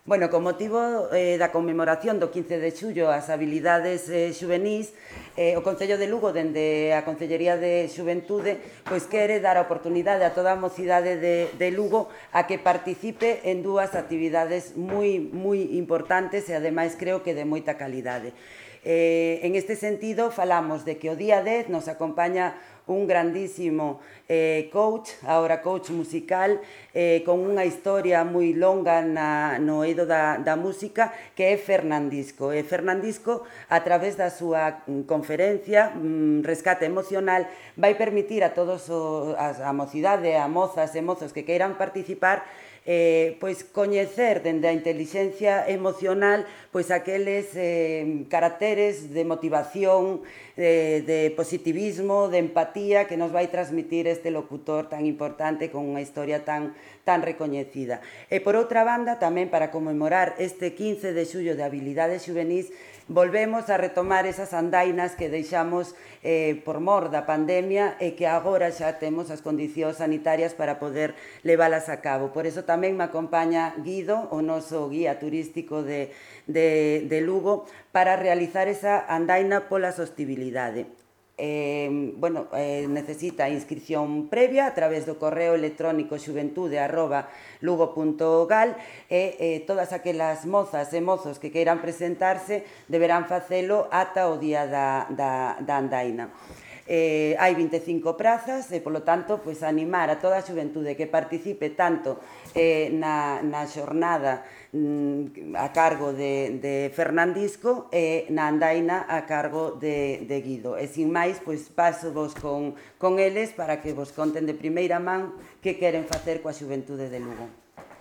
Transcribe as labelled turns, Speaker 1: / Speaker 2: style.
Speaker 1: Bueno, con motivo da conmemoración do 15 de xullo ás habilidades xuvenís, o Concello de Lugo, dende a Concellería de Xuventude, pois quere dar a oportunidade a toda a mocidade de Lugo a que participe en dúas actividades moi importantes e ademais creo que de moita calidade. En este sentido, falamos de que o día 10 nos acompaña un grandísimo coach, agora coach musical, con unha historia moi longa no eido da música, que é Fernandisco. E Fernandisco, a través da súa conferencia Rescate Emocional, vai permitir a todos a mocidade, a mozas e mozos que queiran participar, pois coñecer dende a intelixencia emocional pois aqueles caracteres de motivación, de positivismo, de empatía que nos vai transmitir este locutor tan importante con unha historia tan recoñecida. E por outra banda, tamén para conmemorar este 15 de xullo de habilidades xuvenís, volvemos a retomar esas andainas que deixamos por mor da pandemia e que agora xa temos as condicións sanitarias para poder leválas a cabo. Por eso tamén me acompaña Guido, o noso guía turístico de Lugo, para realizar esa andaina pola sostibilidade. Necesita inscripción previa a través do correo electrónico xuventude@lugo.gal e todas aquelas mozas e mozos que queiran presentarse deberán facelo ata o día da andaina. Hai 25 prazas e, polo tanto, animar a toda a xuventude que participe tanto na xornada a cargo de Fernandisco e na andaina a cargo de Guido. E, sin máis, paso vos con eles para que vos conten de primeira man que queren facer coa xuventude de Lugo.